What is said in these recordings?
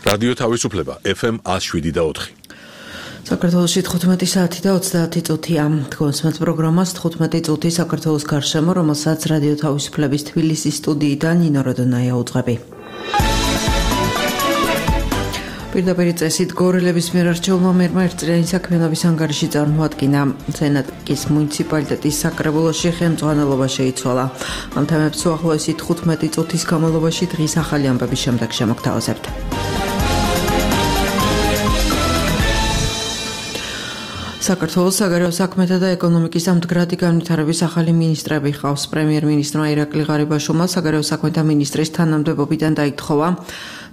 რადიო თავისუფლება FM 107.4. საქართველოში 15 საათი და 30 წუთია. თქვენს პროგრამას 15 წუთი საქართველოს გარშემო, რომელსაც რადიო თავისუფლების თბილისის სტუდიიდან ნინო როდონაია უძღვები. პირდაპირ წესით გორელების მიერ არჩეულმა მერმა ერთწლიანი საქმიანობის ანგარიში წარმოადგინა. სენატის მუნიციპალიტეტის საკრებულოში ხელმძღვანელობა შეიცვალა. ამ თემებს უახლოესი 15 წუთის განმავლობაში დღის ახალი ამბების შემდეგ შემოგთავაზებთ. საქართველოს საგარეო საქმეთა და ეკონომიკის მდგრადი განვითარების ახალი მინისტრები ხავს. პრემიერ-მინისტრმა ირაკლი ღარიბაშვილმა საგარეო საქმეთა მინისტრის თანამდებობიდან დაითხოვა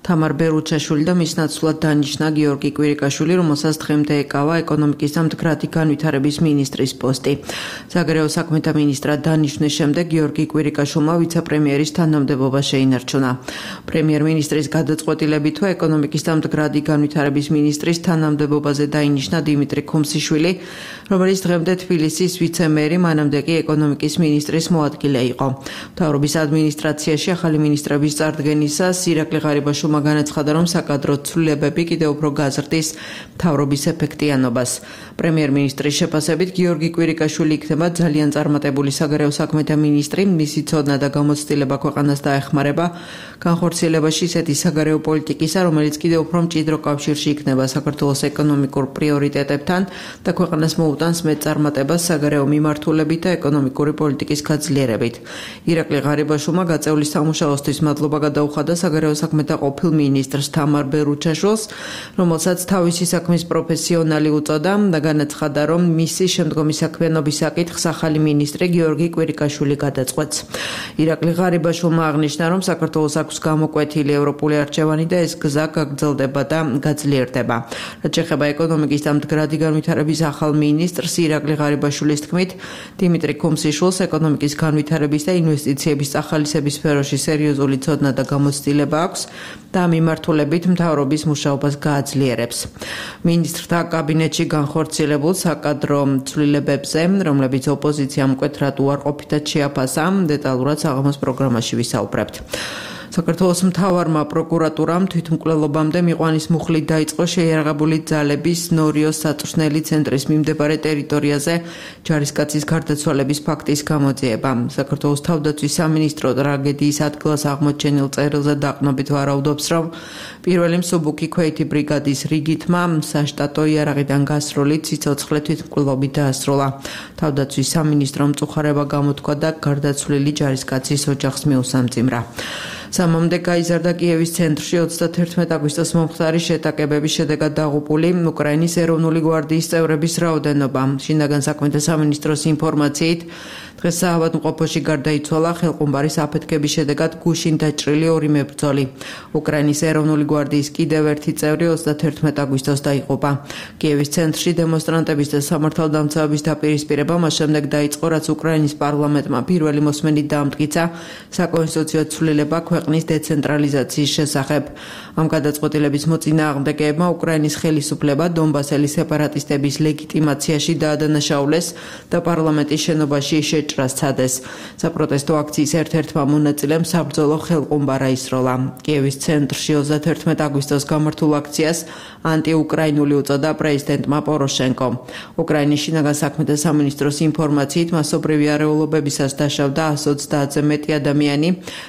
თამარ ბერუჩაშვილი და მის ნაცვლად დანიშნა გიორგი კვირიკაშვილი, რომელსაც დღემდე ეკავა ეკონომიკის და მდგრადი განვითარების მინისტრის პოსტი. საგარეო საქმეთა მინისტრად დანიშნვის შემდეგ გიორგი კვირიკაშვილმა ვიცე-პრემიერის თანამდებობა შეინარჩუნა. პრემიერ-მინისტრის გადაწყვეტილებით ეკონომიკის და მდგრადი განვითარების მინისტრის თანამდებობაზე დაინიშნა დიმიტრი ქუმსიშვილი, რომელიც დღემდე თბილისის ვიცე-მერი, მანამდე კი ეკონომიკის მინისტრის მოადგილე იყო. მთავრობის ადმინისტრაციაში ახალი მინისტრების წარდგენისას ირაკლი ღარიბაშვილმა განაცხადა, რომ საკადრო ცვლილებები კიდევ უფრო გაზრდის მთავრობის ეფექტიანობას. პრემიერ-მინისტრის შეფასებით გიორგი კვირიკაშვილი იქნება ძალიან წარმატებული საგარეო საქმეთა მინისტრი, მისი ცოდნა და გამოცდილება ქვეყანას დაეხმარება განხორციელებაში ისეთი საგარეო პოლიტიკისა, რომელიც კიდევ უფრო მჭიდრო კავშირში იქნება საქართველოს ეკონომიკურ პრიორიტეტებთან და ქვეყანას მოუტანს მეტწარმატებას საგარეო მიმართულებით და ეკონომიკური პოლიტიკის გაძლიერებით. ირაკლი ღარიბაშვილმა გაწეული სამუშაოსთვის მადლობა გადაუხადა საგარეო საქმეთა ყოფილ მინისტრს თამარ ბერუჩაშვილს, რომელსაც თავისი საქმის პროფესიონალი უწოდა და განაცხადა, რომ მისი შემდგომი საქმიანობის საკითხს ახალი მინისტრი გიორგი კვირიკაშვილი გადაწყვეტს. ირაკლი ღარიბაშვილმა აღნიშნა, რომ საქართველოს აქვს გამოკვეთილი ევროპული არჩევანი და ეს გზა გაგრძელდება და გაძლიერდება. რაც შეეხება ეკონომიკის და მდგრადი განვითარების ახალ მინისტრს ირაკლი ღარიბაშვილის თქმით, დიმიტრი ქუმსიშვილს ეკონომიკის განვითარების და ინვესტიციების ახალისების სფეროში სერიოზული ცოდნა და გამოცდილება აქვს და მიმართულებით მთავრობის მუშაობას გააძლიერებს. მინისტრთა კაბინეტში განხორციელებულ საკადრო ცვლილებებზე, რომლებიც ოპოზიციამ მკვეთრად უარყოფითად შეაფასა, დეტალურად საღამოს პროგრამაში ვისაუბრებთ. საქართველოს მთავარმა პროკურატურამ თვითმკვლელობამდე მიყვანის მუხლით დაიწყო შეიარაღებული ძალების ნორიოს საწვრთნელი ცენტრის მიმდებარე ტერიტორიაზე ჯარისკაცის გარდაცვალების ფაქტის გამოძიება. საქართველოს თავდაცვის სამინისტრო ტრაგედიის ადგილას აღმოჩენილ წერილზე დაყრდნობით ვარაუდობს, რომ პირველი მსუბუქი ქვეითი ბრიგადის რიგითმა საშტატო იარაღიდან გასროლით სიცოცხლე თვითმკვლელობით დაასრულა. თავდაცვის სამინისტრომ მწუხარება გამოთქვა და გარდაცვლილი ჯარისკაცის ოჯახს მიუსამძიმრა. სამამდე გაიზარდა კიევის ცენტრში 31 აგვისტოს მომხდარი შეტაკებების შედეგად დაღუპული უკრაინის ეროვნული გვარდიის წევრების რაოდენობა. შინაგან საქმეთა სამინისტროს ინფორმაციით, დღეს საავადმყოფოში გარდაიცვალა ხელყუმბარის აფეთქების შედეგად გუშინ დაჭრილი 2 მებრძოლი. უკრაინის ეროვნული გვარდიის კიდევ ერთი წევრი 31 აგვისტოს დაიღუპა. კიევის ცენტრში დემონსტრანტების და სამართალდამცავების დაპირისპირება მას შემდეგ დაიწყო, რაც უკრაინის პარლამენტმა პირველი მოსმენით დაამტკიცა საკონსტიტუციო ცვლილება ქვეყნის დეცენტრალიზაციის შესახებ. ამ გადაწყვეტილების მოწინააღმდეგეებმა უკრაინის ხელისუფლება დონბასელი სეპარატისტების ლეგიტიმაციაში დაადანაშაულეს და პარლამენტის შენობაში შეჭრა სცადეს. საპროტესტო აქციის ერთ-ერთმა მონაწილემ საბრძოლო ხელყუმბარა ისროლა. კიევის ცენტრში 31 აგვისტოს გამართულ აქციას ანტიუკრაინული უწოდა პრეზიდენტმა პოროშენკომ. უკრაინის შინაგან საქმეთა სამინისტროს ინფორმაციით, მასობრივი არეულობებისას დაშავდა 130-ზე მეტი ადამიანი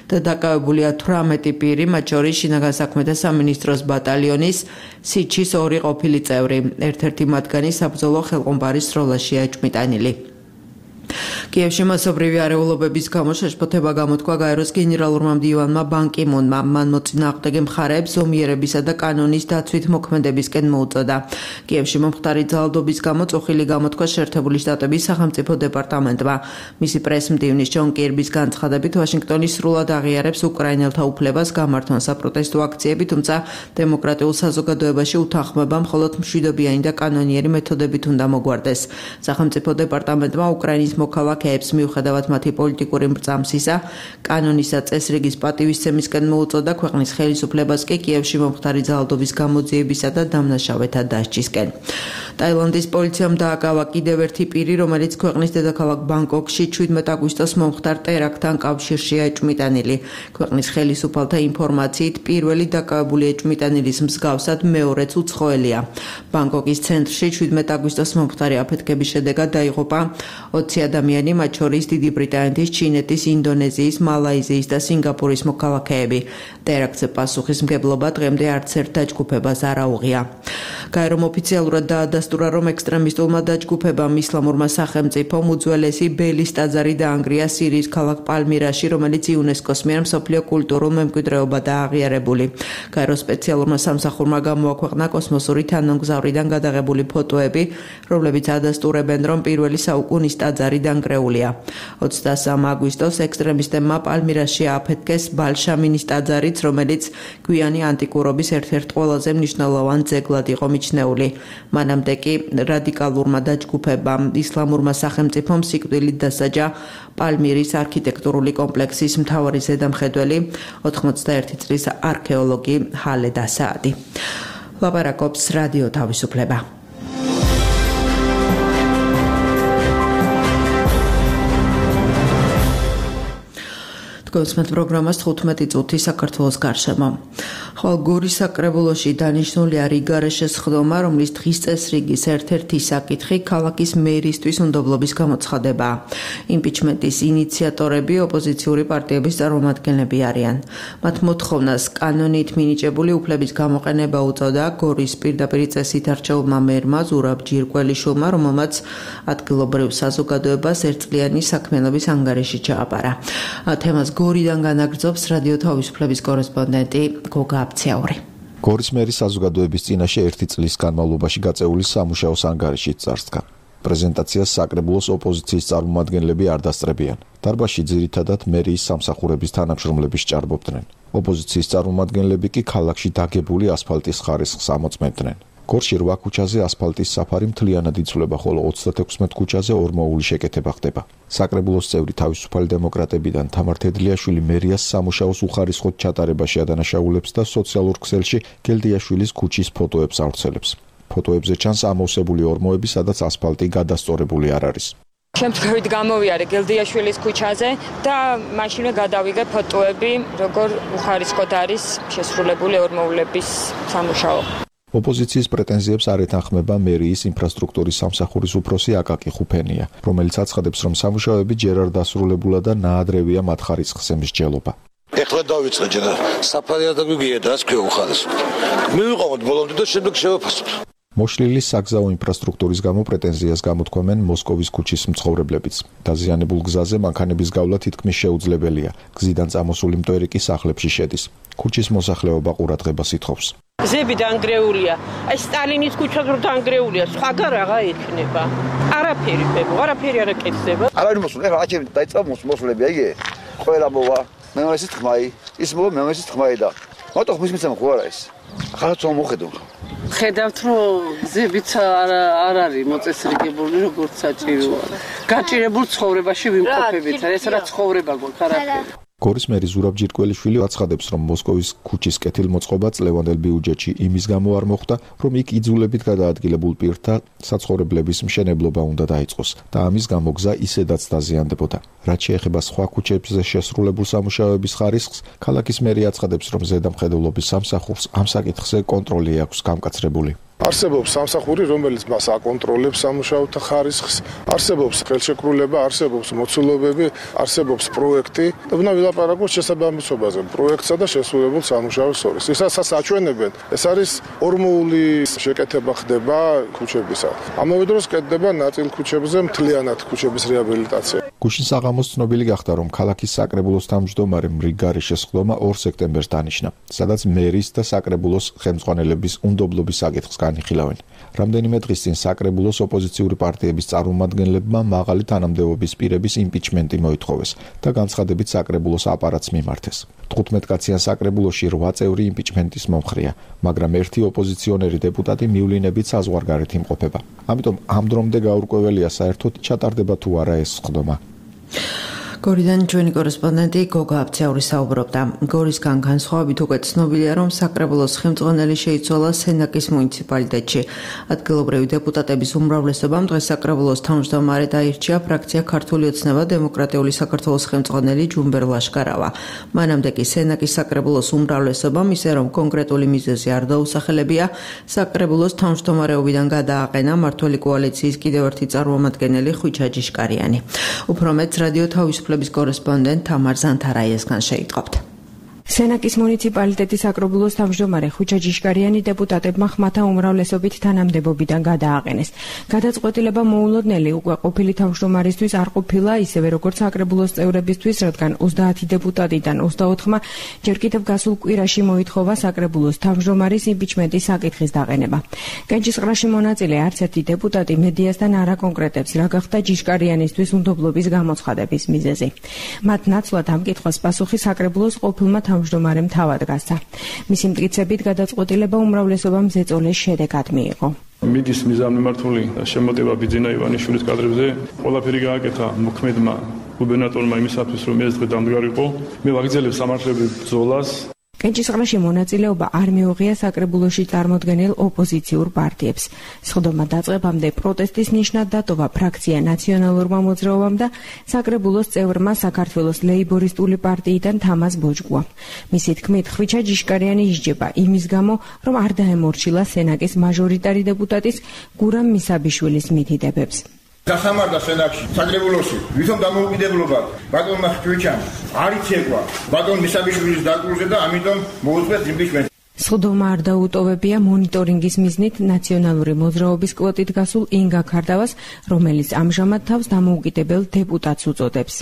და დაკავებულია 18 პირი, მათ შორის შინაგან საქმეთა სამინისტროს ბატალიონის სიჩის 2 ყოფილი წევრი. ერთ-ერთი მათგანი საბრძოლო ხელყუმბარის სროლაშია ეჭვმიტანილი. კიევში მასობრივი არეულობების გამო შეშფოთება გამოთქვა გაეროს გენერალურმა მდივანმა ბან კი მუნმა. მან მოწინააღმდეგე მხარეებს ზომიერებისა და კანონის დაცვით მოქმედებისკენ მოუწოდა. კიევში მომხდარი ძალადობის გამო წუხილი გამოთქვა შეერთებული შტატების სახელმწიფო დეპარტამენტმა. მისი პრესმდივნის ჯონ კირბის განცხადებით, ვაშინგტონი სრულად აღიარებს უკრაინელთა უფლებას გამართონ საპროტესტო აქციები, თუმცა დემოკრატიულ საზოგადოებაში უთანხმოება მხოლოდ მშვიდობიანი და კანონიერი მეთოდებით უნდა მოგვარდეს. სახელმწიფო დეპარტამენტმა უკრაინის მოქალაქე მოქალაქეებს მიუხედავად მათი პოლიტიკური მრწამსისა, კანონისა წესრიგის პატივისცემისკენ მოუწოდა ქვეყნის ხელისუფლებას კი კიევში მომხდარი ძალადობის გამოძიებისა და დამნაშავეთა დასჯისკენ. ტაილანდის პოლიციამ დააკავა კიდევ ერთი პირი, რომელიც ქვეყნის დედაქალაქ ბანგკოკში 17 აგვისტოს მომხდარ ტერაქტთან კავშირშია ეჭვმიტანილი. ქვეყნის ხელისუფალთა ინფორმაციით, პირველი დაკავებული ეჭვმიტანილის მსგავსად მეორეც უცხოელია. ბანგკოკის ცენტრში 17 აგვისტოს მომხდარი აფეთქების შედეგად დაიღუპა 20 ადამიანი, მათ შორის დიდი ბრიტანეთის, ჩინეთის, ინდონეზიის, მალაიზიის და სინგაპურის მოქალაქეები. ტერაქტზე პასუხისმგებლობა დღემდე არც ერთ დაჯგუფებას არ აუღია. გაერომ ოფიციალურად დაადასტურა, რომ ექსტრემისტულმა დაჯგუფებამ ისლამურმა სახელმწიფომ უძველესი ბელის ტაძარი დაანგრია სირიის ქალაქ პალმირაში, რომელიც იუნესკოს მიერ მსოფლიო კულტურულ მემკვიდრეობადაა აღიარებული. გაეროს სპეციალურმა სამსახურმა გამოაქვეყნა კოსმოსური თანამგზავრიდან გადაღებული ფოტოები, რომლებიც ადასტურებენ, რომ პირველი საუკუნის ტაძარი დანგრეულია. 23 აგვისტოს ექსტრემისტებმა პალმირაში ააფეთქეს ბალშამინის ტაძარიც, რომელიც გვიანი ანტიკურობის ერთ-ერთ ყველაზე მნიშვნელოვან ძეგლად იყო მიჩნეული. მანამდე კი რადიკალურმა დაჯგუფებამ ისლამურმა სახელმწიფომ სიკვდილით დასაჯა პალმირის არქიტექტურული კომპლექსის მთავარი ზედამხედველი 81 წლის არქეოლოგი ჰალედ ასაადი. ლაპარაკობს რადიო თავისუფლება. გოსმეთ პროგრამას 15 წუთი საქართველოს გარშემო. ხვალ გორის საკრებულოში დანიშნულია რიგარეშეს ხდომა, რომლის დღის წესრიგის ერთ-ერთი საკითხი ქალაქის მერისთვის უნდობლობის გამოცხადებაა. იმპიჩმენტის ინიციატორები ოპოზიციური პარტიების წარმომადგენლები არიან. მათ მოთხოვნას კანონით მინიჭებული უფლების გამოყენება უწოდა გორის პირდაპირ წესით არჩეულმა მერმა ზურაბ ჯირკველიშვილმა, რომელმაც ადგილობრივ საზოგადოებას ერთწლიანი საქმიანობის ანგარიში ჩააბარა. თემას გორიდან განაგრძობს რადიო თავისუფლების კორესპონდენტი გოგა აბცაური. გორის მერის საზოგადოების წინაშე ერთი წლის განმავლობაში გაწეული სამუშაოს ანგარიშით წარსდგა. პრეზენტაციას საკრებულოს ოპოზიციის წარმომადგენლები არ დასწრებიან. დარბაზში ძირითადად მერიის სამსახურების თანამშრომლები სჭარბობდნენ. ოპოზიციის წარმომადგენლები კი ქალაქში დაგებული ასფალტის ხარისხს ამოწმებდნენ. გორში 8 ქუჩაზე ასფალტის საფარი მთლიანად იცვლება, ხოლო 36 ქუჩაზე ორმოული შეკეთება ხდება. საკრებულოს წევრი თავისუფალი დემოკრატებიდან თამარ თედლიაშვილი მერიას სამუშაოს უხარისხოდ ჩატარებაში ადანაშაულებს და სოციალურ ქსელში გელდიაშვილის ქუჩის ფოტოებს ავრცელებს. ფოტოებზე ჩანს ამოვსებული ორმოები, სადაც ასფალტი გადასწორებული არ არის. შემთხვევით გამოვიარე გელდიაშვილის ქუჩაზე და მაშინვე გადავიღე ფოტოები, როგორ უხარისხოდ არის შესრულებული ორმოულების სამუშაო. ოპოზიციის პრეტენზიებს არ ეთანხმება მერიის ინფრასტრუქტურის სამსახურის უფროსი აკაკი ხუფენია, რომელიც აცხადებს, რომ სამუშაოები ჯერ არ დასრულებულა და ნაადრევია მათ ხარისხზე მსჯელობა. ეხლა დავიწყე ჯერ საფარი არ დაგვიგია და ასე უხარისხო. მივიყავთ ბოლომდე და შემდეგ შევაფასოთ. მოშლილი საგზაო ინფრასტრუქტურის გამო პრეტენზიას გამოთქვამენ მოსკოვის ქუჩის მცხოვრებლებიც. დაზიანებულ გზაზე მანქანების გავლა თითქმის შეუძლებელია. გზიდან წამოსული მტვერი კი სახლებში შედის. ქუჩის მოსახლეობა ყურადღებას ითხოვს. გზები დანგრეულია. აი სტალინის ქუჩაც რო დანგრეულია, სხვაგან რაღა ექნება. არაფერი ხება, არაფერი არ აკეთდება. არავინ მოსულ, ეხლა აჩები დაიწყო მოსულები, აიგე. ყველა მოვა, მემესის თქმაი, ის მოვა მემესის თქმაი და მოტო ხმის მიცემა ხო არა ეს. ახლა თუ მოხედო. ხედავთ რომ გზებიც არ არის მოწესრიგებული როგორც საჭიროა. გაჭირებულ ცხოვრებაში ვიმყოფებით, ეს რა ცხოვრება გვაქვს არაფერი. გორის მერი ზურაბ ჯირკველიშვილი აცხადებს, რომ მოსკოვის ქუჩის კეთილმოწყობა წლევანდელ ბიუჯეტში იმის გამო არ მოხდა, რომ იქ იძულებით გადაადგილებულ პირთა საცხოვრებლების მშენებლობა უნდა დაიწყოს და ამის გამო გზა ისედაც დაზიანდებოდა. რაც შეეხება სხვა ქუჩებზე შესრულებულ სამუშაოების ხარისხს, ქალაქის მერი აცხადებს, რომ ზედამხედველობის სამსახურს ამ საკითხზე კონტროლი აქვს გამკაცრებული. არსებობს სამსახური, რომელიც მას აკონტროლებს სამუშაოთა ხარისხს, არსებობს ხელშეკრულება, არსებობს მოცულობები, არსებობს პროექტი და უნდა ვილაპარაკოთ შესაბამისობაზე პროექტსა და შესრულებულ სამუშაოს შორის. ისაც აჩვენებენ, ეს არის ორმოული შეკეთება ხდება ქუჩებისა. ამავე დროს კეთდება ნაწილ ქუჩებზე მთლიანად ქუჩების რეაბილიტაცია. გუშინ საღამოს ცნობილი გახდა, რომ ქალაქის საკრებულოს თავმჯდომარემ რიგარეშეს ხდომა 2 სექტემბერს დანიშნა, სადაც მერის და საკრებულოს ხელმძღვანელების უნდობლობის საკითხს განიხილავენ. რამდენიმე დღის წინ საკრებულოს ოპოზიციური პარტიების წარმომადგენლებმა მაღალი თანამდებობის პირების იმპიჩმენტი მოითხოვეს და განცხადებით საკრებულოს აპარატს მიმართეს. 15 კაციან საკრებულოში 8 წევრი იმპიჩმენტის მომხრეა, მაგრამ ერთი ოპოზიციონერი დეპუტატი მივლინებით საზღვარგარეთ იმყოფება. ამიტომ ამ დრომდე გაურკვეველია საერთოდ ჩატარდება თუ არა ეს ხდომა. გორიდან ჩვენი კორესპონდენტი გოგა აბცაური საუბრობდა. გორისგან განსხვავებით უკვე ცნობილია, რომ საკრებულოს ხელმძღვანელი შეიცვალა სენაკის მუნიციპალიტეტში. ადგილობრივი დეპუტატების უმრავლესობამ დღეს საკრებულოს თავმჯდომარედ აირჩია ფრაქცია ქართული ოცნება დემოკრატიული საქართველოს ხელმძღვანელი ჯუმბერ ლაშკარავა. მანამდე კი სენაკის საკრებულოს უმრავლესობამ ისე რომ კონკრეტული მიზეზი არ დაუსახელებია, საკრებულოს თავმჯდომარეობიდან გადააყენა მმართველი კოალიციის კიდევ ერთი წარმომადგენელი ხვიჩა ჯიშკარიანი. უფრო მეტ რადიო თავისუფლების კორესპონდენტ თამარ ზანთარაიესგან შეიტყობთ. სენაკის მუნიციპალიტეტის საკრებულოს თავმჯდომარე ხვიჩა ჯიშკარიანი დეპუტატებმა ხმათა უმრავლესობით თანამდებობიდან გადააყენეს. გადაწყვეტილება მოულოდნელი უკვე ყოფილი თავმჯდომარისთვის არ ყოფილა, ისევე როგორც საკრებულოს წევრებისთვის, რადგან 30 დეპუტატიდან 24-მა ჯერ კიდევ გასულ კვირაში მოითხოვა საკრებულოს თავმჯდომარის იმპიჩმენტის საკითხის დაყენება. კენჭისყრაში მონაწილე არც ერთი დეპუტატი მედიასთან არ აკონკრეტებს, რა გახდა ჯიშკარიანისთვის უნდობლობის გამოცხადების მიზეზი. მათ ნაცვლად ამ კითხვას პასუხი საკრებულოს ყოფილმა თავმჯდომარემ თავად გასცა. მისი მტკიცებით გადაწყვეტილება უმრავლესობამ ზეწოლის შედეგად მიიღო. მიდის მიზანმიმართული შემოტევა ბიძინა ივანიშვილის კადრებზე ყველაფერი გააკეთა მოქმედმა გუბერნატორმა იმისათვის, რომ ეს დღე დამდგარიყო. მე ვაგრძელებ სამართლებრივ ბრძოლას. კენჭისყრაში მონაწილეობა არ მიუღია საკრებულოში წარმოდგენილ ოპოზიციურ პარტიებს. სხდომა დაწყებამდე პროტესტის ნიშნად დატოვა ფრაქცია ნაციონალურმა მოძრაობამ და საკრებულოს წევრმა საქართველოს ლეიბორისტული პარტიიდან თამაზ ბოჭკუა. მისი თქმით, ხვიჩა ჯიშკარიანი ისჯება იმის გამო, რომ არ დაემორჩილა სენაკის მაჟორიტარი დეპუტატის გურამ მისაბიშვილის მითითებებს. გასამარდა სენაკში, საკრებულოში, ვითომ დამოუკიდებლობა ბატონმა ხვიჩამ არ იცეკვა ბატონ მისაბიშვილის დაკრულზე და ამიტომ მოუწყვეთ იმპიჩმენტი. სხდომა არ დაუტოვებია მონიტორინგის მიზნით ნაციონალური მოძრაობის კვოტით გასულ ინგა ქარდავას, რომელიც ამჟამად თავს დამოუკიდებელ დეპუტატს უწოდებს.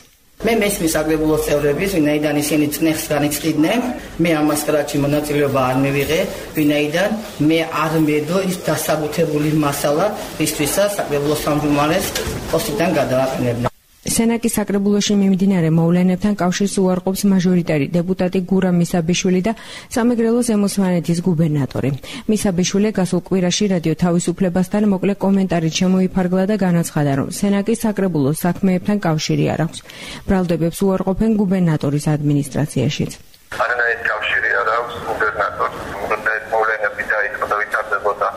მე მესმის საკრებულოს წევრების, ვინაიდან ისინი წნეხს განიცდიდნენ, მე ამას კრაჩი მონაწილეობა არ მივიღე, ვინაიდან მე არ მედო ის დასაბუთებული მასალა, რისთვისაც საკრებულოს თავმჯდომარეს პოსტიდან გადააყენებდნენ. სენაკის საკრებულოში მიმდინარე მოვლენებთან კავშირს უარყოფს მაჟორიტარი დეპუტატი გურამ მისაბიშვილი და სამეგრელო ზემოსვანეთის გუბერნატორი. მისაბიშვილი გასულ კვირაში რადიო თავისუფლებასთან მოკლე კომენტარით შემოიფარგლა და განაცხადა, რომ სენაკის საკრებულოს საქმეებთან კავშირი არ აქვს. ბრალდებებს უარყოფენ გუბერნატორის ადმინისტრაციაშიც. არანაირი კავშირი არ აქვს გუბერნატორს. მოვლენები დაიწყო და ვითარდებოდა.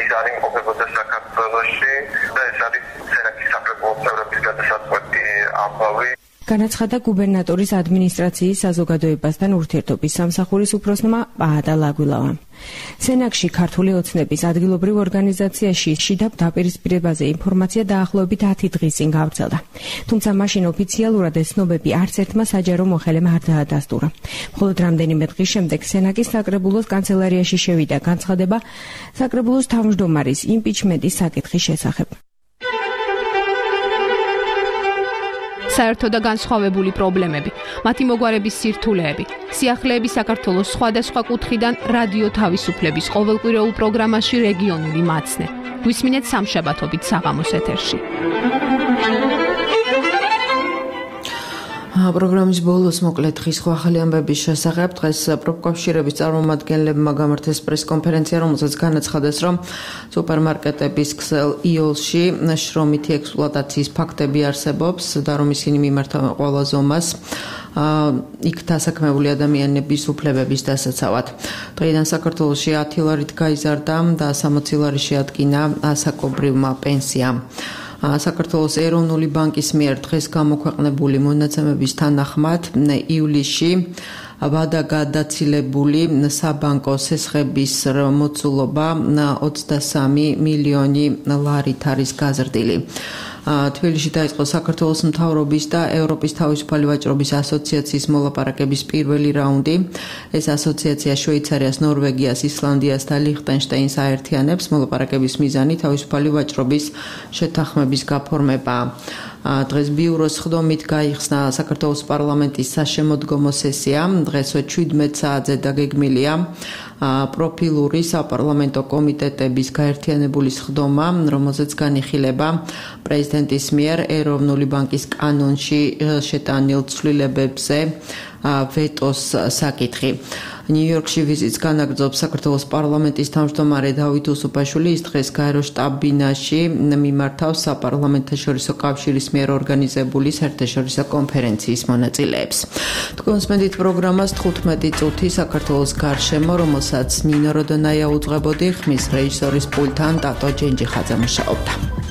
ის არ იმყოფებოდა საქართველოში და ეს არის სენაკის საკრებულოს წევრების გადასაწყვეტი ამბავი. განაცხადა გუბერნატორის ადმინისტრაციის საზოგადოებასთან ურთიერთობის სამსახურის უფროსმა პაატა ლაგვილავამ. სენაკში ქართული ოცნების ადგილობრივ ორგანიზაციაში შიდა დაპირისპირებაზე ინფორმაცია დაახლოებით 10 დღის წინ გავრცელდა. თუმცა მაშინ ოფიციალურად ეს ცნობები არც ერთმა საჯარო მოხელემ არ დაადასტურა. მხოლოდ რამდენიმე დღის შემდეგ სენაკის საკრებულოს კანცელარიაში შევიდა განცხადება საკრებულოს თავმჯდომარის იმპიჩმენტის საკითხის შესახებ. საერთო და განსხვავებული პრობლემები, მათი მოგვარების სირთულეები, სიახლეები საქართველოს სხვადასხვა კუთხიდან რადიო თავისუფლების ყოველკვირეულ პროგრამაში რეგიონული მაცნე. გვისმინეთ სამშაბათობით საღამოს ეთერში. პროგრამის ბოლოს მოკლედ დღის ახალი ამბების შესახებ დღეს პროფკავშირების წარმომადგენლებმა გამართეს პრესკონფერენცია, რომელზეც განაცხადეს, რომ სუპერმარკეტების ქსელ იოლში შრომითი ექსპლუატაციის ფაქტები არსებობს და რომ ისინი მიმართავენ ყველა ზომას იქ დასაქმებული ადამიანების უფლებების დასაცავად. დღეიდან საქართველოში 10 ლარით გაიზარდა და 60 ლარი შეადგინა ასაკობრივმა პენსიამ. საქართველოს ეროვნული ბანკის მიერ დღეს გამოქვეყნებული მონაცემების თანახმად ივლისში ვადაგადაცილებული საბანკო სესხების მოცულობა 23 მილიონი ლარით არის გაზრდილი. თბილისში დაიწყო საქართველოს მთავრობის და ევროპის თავისუფალი ვაჭრობის ასოციაციის მოლაპარაკების პირველი რაუნდი. ეს ასოციაცია შვეიცარიას, ნორვეგიას, ისლანდიას და ლიხტენშტაინს აერთიანებს. მოლაპარაკების მიზანი თავისუფალი ვაჭრობის შეთანხმების გაფორმებაა. დღეს ბიუროს ხდომით გაიხსნა საქართველოს პარლამენტის საშემოდგომო სესია. დღეს 17 საათზე დაგეგმილია პროფილური საპარლამენტო კომიტეტების გაერთიანებული სხდომა, რომელზეც განიხილება პრეზიდენტის მიერ ეროვნული ბანკის კანონში შეტანილ ცვლილებებზე ვეტოს საკითხი. ნიუ-იორკში ვიზიტს განაგრძობს საქართველოს პარლამენტის თავმჯდომარე დავით უსუფაშვილი. ის დღეს გაერო შტაბ-ბინაში მიმართავს საპარლამენტთაშორისო კავშირის მიერ ორგანიზებული საერთაშორისო კონფერენციის მონაწილეებს. თქვენს მედით პროგრამას 15 წუთი საქართველოს გარშემო, რომელსაც ნინო როდონაია უძღვებოდი, ხმის რეჟისორის პულტთან ტატო ჯენჯიხაძე მუშაობდა.